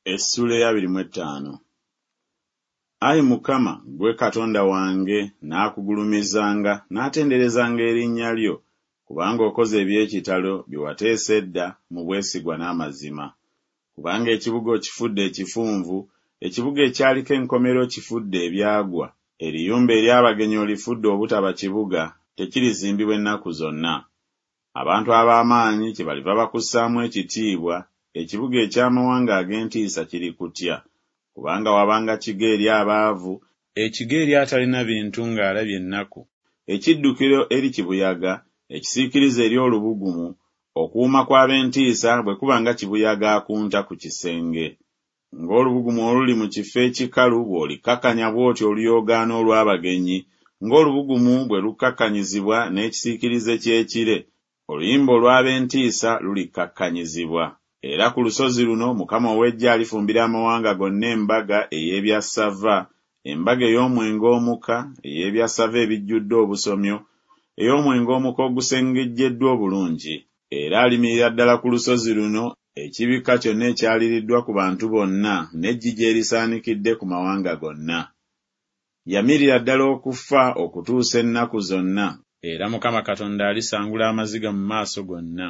Essuula ey'abiri mu ettaano. Ayi Mukama, ggwe Katonda wange, nnaakugulumizanga, nnaatenderezanga erinnya lyo, kubanga okoze eby'ekitalo bye wateesa edda mu bwesigwa n'amazima. Kubanga ekibuga okifudde ekifunvu, ekibuga ekyaliko enkomera okifudde ebyagwa, eriyumba ery'abagenyi olifudde obutaba kibuga, tekirizimbibwa ennaku zonna. Abantu ab'amaanyi kyebaliva bakussaamu ekitiibwa, ekibuga eky'amawanga ag'entiisa kirikutya. Kubanga wabanga kigo eri abaavu, ekigo eri atalina bintu ng'alabye ennaku, ekiddukiro eri kibuyaga, ekisiikirize eri olubugumu, okuwuuma kw'ab'entiisa bwe kuba nga kibuyaga akunta ku kisenge. Ng'olubugumu oluli mu kifo ekikalu bw'olikkakkanya bw'otyo oluyoogaano olw'abagenyi, ng'olubugumu bwe lukkakkanyizibwa n'ekisiikirize ky'ekire, oluyimba olw'ab'entiisa lulikkakkanyizibwa. Era ku lusozi luno Mukama ow'eggye alifumbira amawanga gonna embaga ey'ebyassava, embaga ey'omwenge omuka, ey'ebyassava ebijjudde obusomyo, ey'omwenge omuka ogusengejjeddwa obulungi. Era alimirira ddala ku lusozi luno ekibikka kyonna ekyaliriddwa ku bantu bonna n'eggigi erisaanikidde ku mawanga gonna. Yamirira ddala okufa okutuusa ennaku zonna. Era Mukama Katonda alisangula amaziga mu maaso gonna,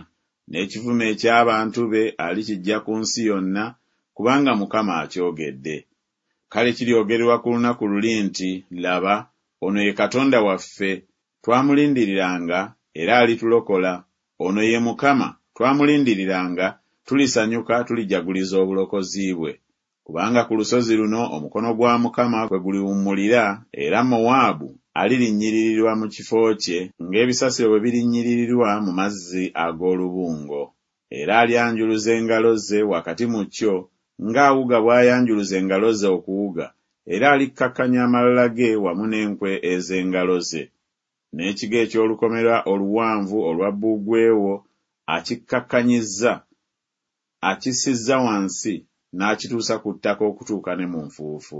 n'ekivume eky'abantu be alikiggya ku nsi yonna, kubanga Mukama akyogedde. Kale kiryogererwa ku lunaku luli nti Laba, ono ye Katonda waffe, twamulindiriranga, era alitulokola, ono ye Mukama, twamulindiriranga, tulisanyuka tulijaguliza obulokozi bwe. Kubanga ku lusozi luno omukono gwa Mukama kwe guliwummulira, era Mowaabu alirinnyirirwa mu kifo kye ng'ebisasiro bwe birinnyiririrwa mu mazzi ag'olubungo. Era alyanjuluza engalo ze wakati mu kyo, ng'awuga bw'ayanjuluza engalo ze okuwuga, era alikkakkanya amalala ge wamu n'enkwe ez'engalo ze. N'ekigo eky'olukomera oluwanvu olwa bbugwe wo akikkakkanyizza, akissizza wansi n'akituusa ku ttaka okutuuka ne mu nfuufu.